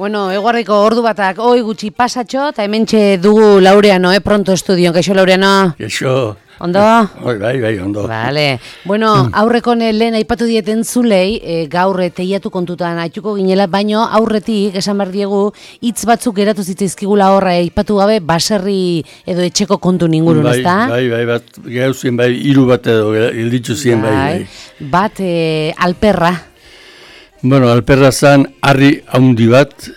Bueno, eguardiko ordu batak hoi gutxi pasatxo, eta hementxe dugu Laureano, pronto estudion, kaixo Laureano? Kaixo. Ondo? Bai, ondo. Vale. Bueno, aurreko lehen aipatu dieten zulei, gaur teiatu kontutan aituko ginela, baino aurretik, esan behar diegu, hitz batzuk geratu zitzaizkigula horra, aipatu gabe, baserri edo etxeko kontu ingurun, ezta? Bai, bat, gauzien bai, hiru bat edo, hilditzu zien bai. Bat, alperra. Bueno, alperra zan, harri haundi bat,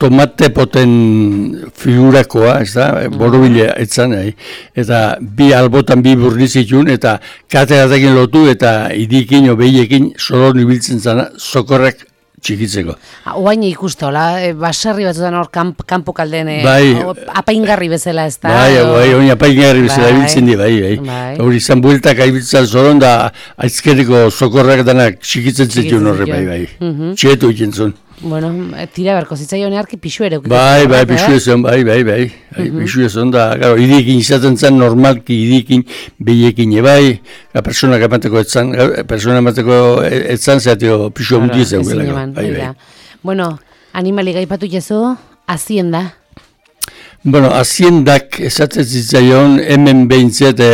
tomate poten figurakoa, ez da, borobile etzan, eta bi albotan bi burnizitun, eta kateratekin lotu, eta idikin o behiekin solon ibiltzen zana, sokorrak txikitzeko. Oain ikuste, hola, baserri batzutan hor kanpo kalden, apaingarri bezala, ez da? Bai, oin apaingarri bezala ibiltzen di, bai. Hori izan bueltak aibiltzen zoron, da aizkeriko sokorrak danak txikitzen zituen horre, bai. Txietu ikentzun. Bueno, tira berko zitzaion earki pixu ere. Bai, pixu ezon, bai. Pixu ezon da, gero, idikin izaten zen, normalki idikin, behiekin ebai, personak emateko etzan, zeatio pixu handi zen. Bai. Bueno, animali gaipatu jezu, hazienda. Bueno, haziendak esatzen zitzaion, hemen behintzet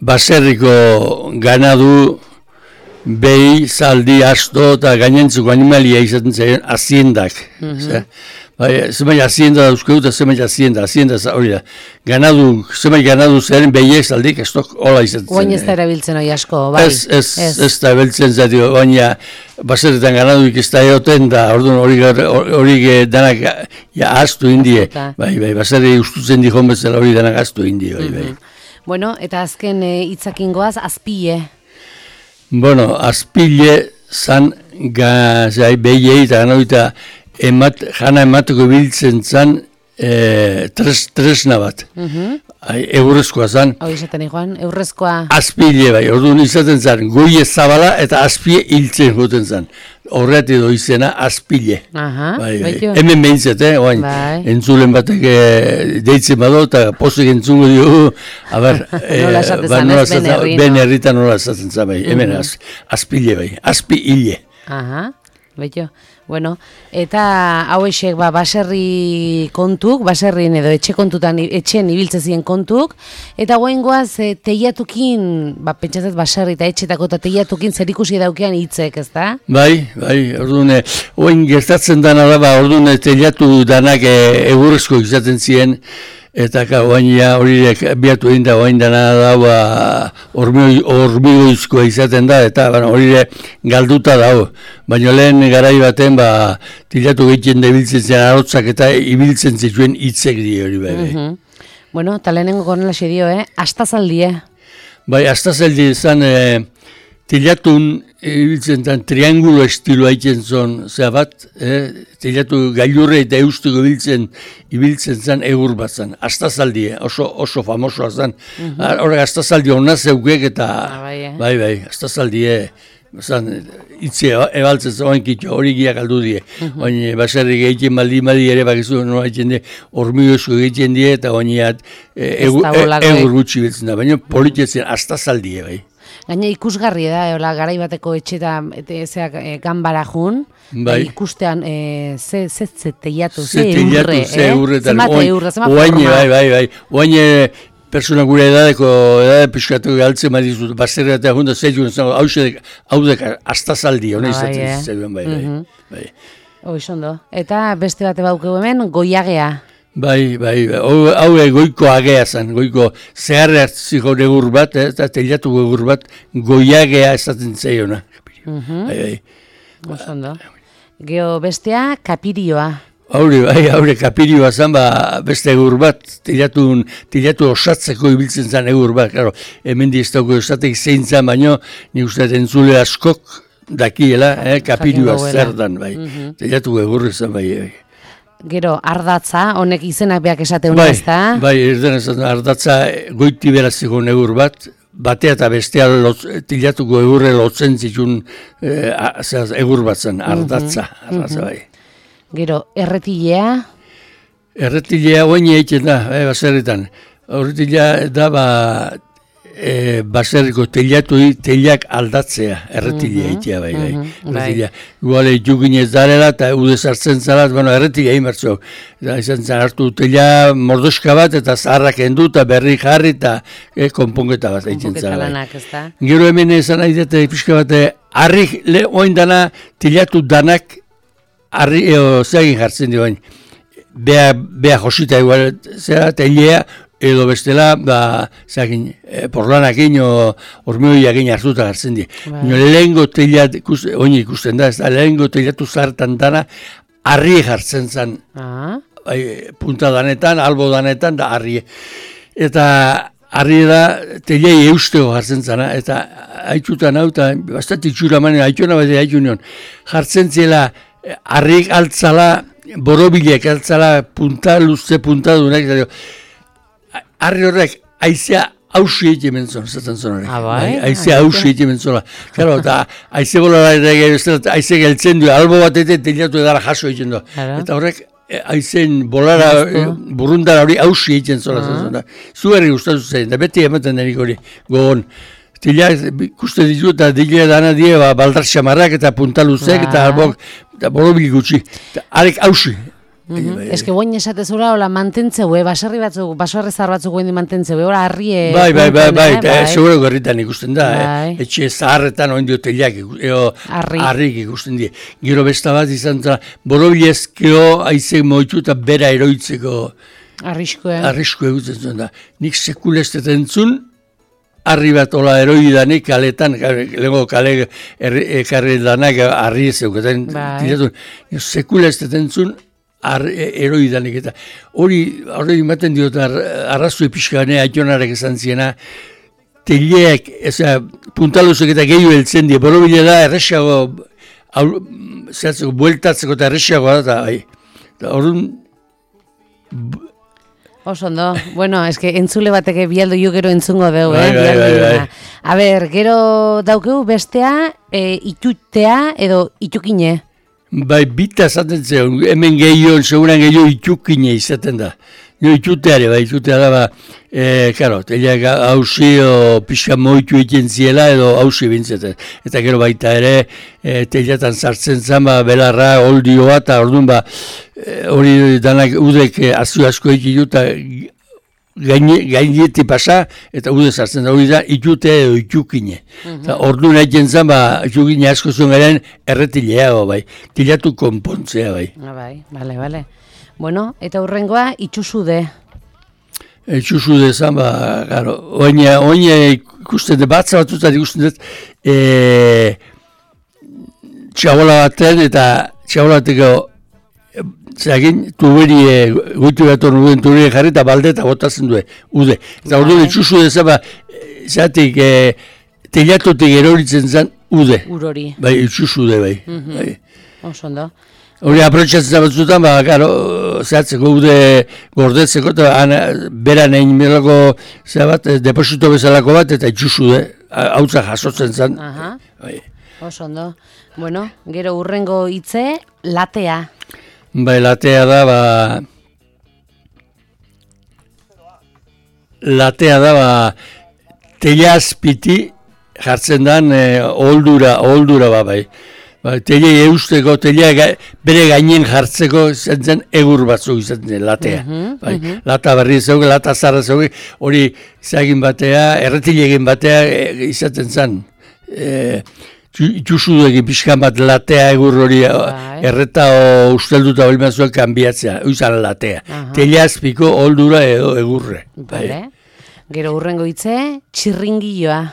baserriko ganadu, behi, zaldi, asto eta gainentzuko animalia izaten zaien haziendak. Zemai hazienda dauzkeu eta zemai hazienda hori da. Zemai ganadu zeren behiek zaldik, ez tok hola izaten zaien. Oain ez da erabiltzen hori asko, bai? Ez da erabiltzen zatio, baina baserretan ganaduik ez da egoten da, hori danak ahaztu indie. Bai, baserri ustutzen dihon bezala hori danak ahaztu indie, bai. Bueno, eta azken hitzakingoaz, azpile. Bueno, azpile zan behiei eta ganoita jana emateko biltzen zan tresna bat. Eurrezkoa zan. Hau izaten ikuan, eurrezkoa. Azpile bai, orduan izaten zan, goie zabala eta azpile hiltzen joten zan. Horret edo izena azpile. Hemen behintzet, oain, entzulen batek deitzen bado eta posik entzungo dio, nola esaten zan, ez ben herri. Ben herritan nola esaten zan, bai, hemen azpile bai, azpile. Beito. Bueno, eta hauexek baserri kontuk, baserrien edo etxen ibiltzen ziren kontuk, eta goaingoaz teiatukin, pentsatzet baserri eta etxetako eta teiatukin zer ikusi daukean hitzek, ez da? Bai, orduan, oain gertatzen dana da, orduan teiatu danak egurrezko izaten ziren, eta horiek biatu egin da, oain dana da, hormigoizkoa izaten da, eta horiek galduta dago. Baina lehen garai baten, tilatu egiten da ibiltzen zen arotzak eta ibiltzen zituen hitzek di hori bai. Bueno, eta lehenengo konela dio, astazaldi, Bai, astazaldi izan, tilatun ibiltzen zen triangulo estiloa egiten zon, bat, tilatu gailurre eta eusteko ibiltzen zen egur bat zen, astazaldi, oso famosoa zen. Horrek astazaldi hona zeukek eta, bai, astazaldi, itzi ebaltzen zoan kitxo, hori giak aldu die. Baina baserri egiten maldi ere bakizu, nola egiten die, hormigozko egiten die, eta baina egur gutxi betzen da. Baina politzetzen astazaldi, bai. Gaina ikusgarri da, garai bateko etxetan ganbara jun, ikustean ze teiatu, ze eurre, zemate eurre, zemate forma. Bai, oain persona gure edadeko pixkatu galtzen badizut, baserri eta junda zeitun, hau dek astazaldi, hona izatzen zituen, bai. Oizondo, eta beste bate baukeu hemen, goiagea. Bai, hau goiko agea zen, goiko zeharre hartziko egur bat, eta teiatu egur bat, goiagea esaten zeiona. Oizondo. Geo bestea, kapirioa. Haure kapirioa zen, beste egur bat, teilatu osatzeko ibiltzen zen egur bat. Hemen diztako esatek zein zen, baino, nik uste entzule askok dakiela, kapirioa zer dan, bai. Teilatu egurri zen, bai. Gero, ardatza, honek izenak beak esateun ez da? Bai, ardatza goiti beraziko egur bat, batea eta bestea tilatuko egurre lotzen zitun egur bat zen, ardatza, bai. Gero, erretilea? Erretilea oain egiten da, baserritan. Erretilea da, baserriko teilak aldatzea, erretilea itea bai. Erretilea. Igual jukin ez darela eta ude sartzen zara, bueno, erretilea imartzo. Izan zen hartu teila mordoska bat eta zaharrak endu eta berri jarri eta konponketa bat egiten zara. Gero hemen esan nahi dut pixka bat, harrik oin dana teilatu danak harri zeagin jartzen dioen. Bea josita igual, zera teilea, edo bestela, porlanakin o hormioiakin hartuta hartzen di. Lehengo teilat, oin ikusten da, lehengo teilatu zartan dana, harri jartzen zen. Punta danetan, albo danetan, da harri. Eta harri da, teilei eustego jartzen zena, eta haitxutan hau, eta bastat itxura manen, haitxuna bat haitxun nion, jartzen zela, harrik altzala, borobilek altzala, punta luze, punta dunak, harri horrek, aizea hausi egiten zon, zaten zon horrek. Aizea hausi egiten zon. Claro, eta aize bolara aize geltzen du, albo bat eta teilatu edara jaso egiten du. Eta horrek, aizen bolara, burrundara hori hausi egiten zon. Zuherri gustatu zen, da beti ematen denik hori, gogon. Teilak ikusten ditu eta dilea dana die, baldar xamarrak eta puntaluzek eta albok, eta borobil gutxi. Harek hausi. Ez que boin esatezura, hola mantentzeu, baserri batzuk, baserri zahar batzuk guen mantentzeu, hola harrie... Bai, seguro gerritan ikusten da, etxe zaharretan oin dio teilak, harrik ikusten die. Gero besta bat izan zara, borobilezkeo aizek moitu eta bera eroitzeko... Arrisko egutzen zuen da. Nik sekulestetan zun, harri bat ola eroi danik kaletan, lehenko kale ekarri danak harri zeuketan. Sekulestetan zun, eroi danik eta hori ematen diot arrazue pixkane aitonarek esan ziena teileak, puntaluzek eta gehiu heltzen die, borobile da erresago bueltatzeko eta erresago da orduan Osondo, bueno, eske entzule bateke bialdo jo gero entzungo dugu, A ber, gero daukeu bestea, itutea edo itukine? Bai, bita esaten zen, hemen gehiago, seguran gehiago itukine izaten da. Jo ituteare, itutea da, karo, teileak hausi o pixka moitu egiten ziela edo hausi bintzeten. Eta gero baita ere, teileatan sartzen zen, belarra, oldioa, eta orduan, hori danak udek azio asko egitu, eta gaineti pasa, eta ude sartzen da, hori da, itutea edo itukine. Orduan egiten zen, itukine asko zuen garen, erretilea, teilatu konpontzea, Bale. Bueno, eta hurrengoa, itxusude. Itxusude zan, garo, oin ikusten dut, batza batutat ikusten dut, txabola baten, eta txabola bateko, zeagin, tuberie, goitu gator nuen tuberie jarri, eta balde eta botatzen du, ude. Eta orduan itxusude zan, zatik, teilatotik eroritzen zan, ude. Urori. Bai, itxusude, bai. Osondo. Hori aprotxatzen batzutan, zehatzeko ude gordetzeko, eta beran egin melako deposito bezalako bat, eta itxusude, hautza jasotzen zen. Osondo. Bueno, gero urrengo hitze, latea. Bai, latea da, teila azpiti jartzen den oldura bai. Teilei eusteko, teilea bere gainen jartzeko zen egur batzuk izaten latea. Lata berri zeuge, lata zarra zeuge, hori izagin batea, erretilegin batea izaten zen. Itxusuduekin pixkan bat latea egur hori erreta ustelduta hori mazuek kanbiatzea, izan latea. Teilea azpiko oldura edo egurre. Gero urrengo hitze, txirringiloa.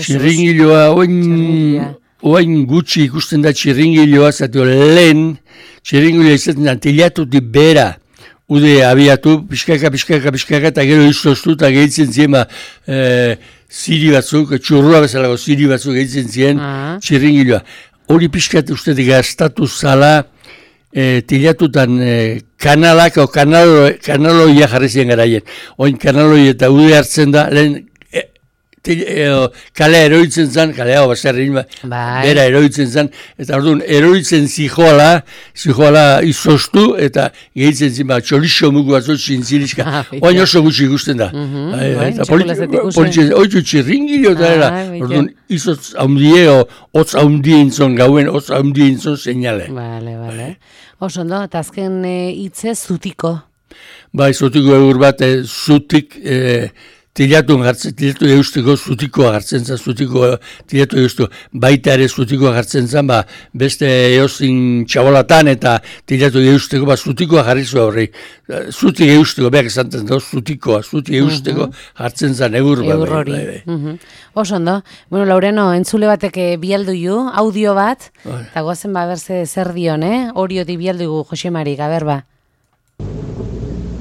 Txirringiloa, oain gutxi ikusten da txirringiloa, zatio lehen, txirringiloa izaten da, teilatutik bera, ude abiatu, pixkaka, eta gero izoztu, eta gehitzen ziren, ziri batzuk, txurrua bezalako ziri batzuk gehitzen ziren, txirringiloa. Hori pixkat ustetik gaztatu zala, teilatutan kanalak, o kanaloia jarri ziren garaien. Oin kanaloia eta ude hartzen da, lehen kalea eroitzen zen, kalea baserrin, bera eroitzen zen, eta orduan eroitzen zijoala izoztu, eta gehitzen zin, txolixo mugu batzut zintzilizka, oain oso gutxi ikusten da. Eta oitzu txirringilio eta era, orduan izotz haundie, hotz haundien zon, gauen hotz haundien zon seinale. Bale. Oso ondo, eta azken hitze zutiko. Bai, zutiko egur bat, zutik, tilatu eusteko zutikoa hartzen zen, tilatu eusteko, baita ere zutikoa hartzen zen, beste eozin txabolatan eta tilatu eusteko, zutikoa jarri zu horri. Zutik eusteko, behar esantzen da, zutik eusteko hartzen zen egur bat. Egur hori. Oso ondo. Bueno, Laureno, entzule batek bialdu ju, audio bat, eta goazen berze zer dion, horioti bialdu gu, Josemari, gaber ba.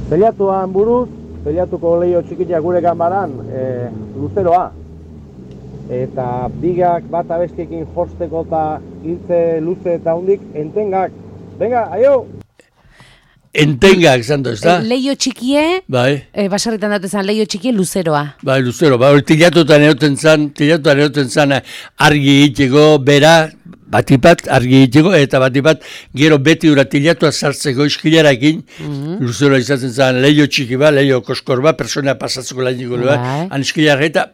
Telatuan buruz, telatuko leio txikitia gure ganbaran, luzeroa. Eta bigak bat abestiekin josteko eta hiltze luze eta hundik, entengak. Venga, aio! Entengak, zanto, ez da? Leio txikie, basarritan datu zen, leio txikie luzeroa. Bai, luzeroa, tilatutan eroten zan, argi egiteko, bera, batipat argi egiteko, eta batipat gero beti ura tilatua sartzeko iskilarakin, luzeroa izaten zen, leio txiki leio koskor persona pasatzeko lainiko han iskilarak eta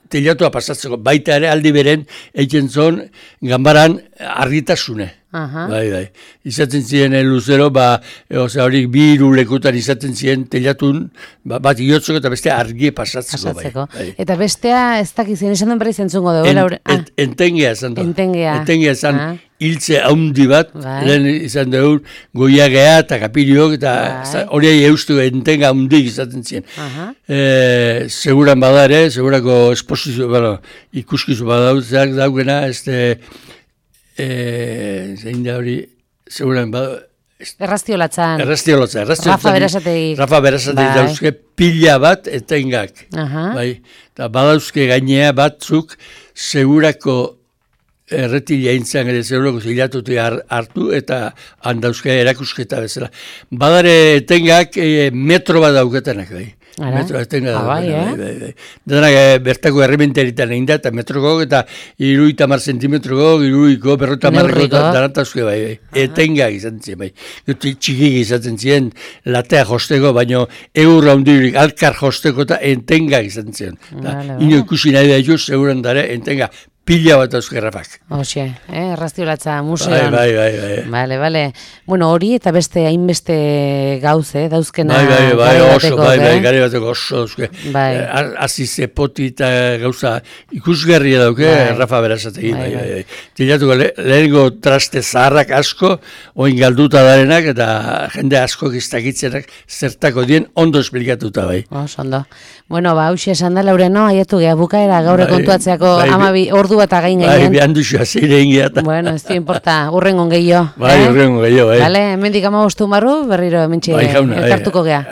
tilatua pasatzeko, baita ere aldi beren, egiten zon, ganbaran argitasune. Bai. Izaten ziren luzero, horik bi irulekutan izaten ziren telatun, bat iotzeko eta beste argie pasatzeko. Eta bestea, ez dakizien, esan duen berri zentzungo dugu? Entengea esan du. Entengea esan hiltze haundi bat, lehen izan dugu goiagea eta kapiriok, eta horiai eustu entenga haundik izaten ziren. Seguran badare, segurako esposizio, ikuskizu badauzeak daugena, zein da hori, seguran Erraztiolatzan. Rafa Berasategi dauzke pila bat etengak. Eta badauzke gainea batzuk segurako erretilia intzan ere segurako zilatuti hartu eta handauzke erakusketa bezala. Badare etengak metro bat dauketenak bai. Metro denak bertako errementeritan egin da, eta metroko eta 30 zentimetroko, 40 marreko danatazke bai. Etengak izan ziren bai. Txikik izaten ziren latea josteko, baino eurra hundirik alkar josteko eta entengak izan ziren. Ino ikusi nahi da jo, seguran dara entengak. Pila bat dauzke Rafak. Hoxe, erraztiolatza museoan. Bai. Bale. Bueno, hori eta beste hainbeste gauze, dauzkena gari bateko oso dauzke. Azize poti eta gauza ikusgarria dauke Rafa Berasategi. Tilatuko lehenko traste zaharrak asko, oin galduta darenak eta jende asko giztakitzenak zertako dien ondo esplikatuta bai. Ondo. Bueno, hauxe esan da Laureno, aiatu geha bukaera gaur kontuatzeako 12 ordu bat again gainean. Bai, behan duxua, zeire ingeata. Bueno, ez dio importa, urrengon gehiago. Urrengon gehiago, bai. Bale, hemendik 15 barru, berriro hementxe elkartuko geha.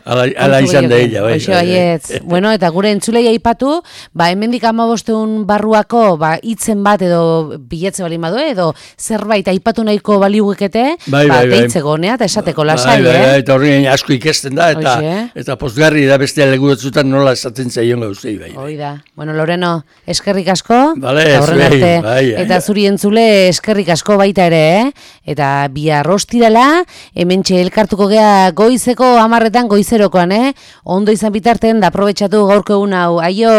Ala izan da ella, bai. Bueno, eta gure entzulei aipatu, hemendik 15 barruako, hitzen bat edo biletze balin badu, edo zerbait aipatu nahiko baliugekete, deitzeko honea, eta esateko lasai, eta horrein asko ikesten da, eta postgarri da beste legutzutan nola esaten zaion gauzei, bai. Oida. Bueno, Loreno, eskerrik asko. Bai. Eta zuri entzule eskerrik asko baita ere, eta bihar ostirala, hementxe elkartuko gea goizeko 10 goizerokoan, ondo izan bitarten da aprobetxatu gaurko egun hau. Aio!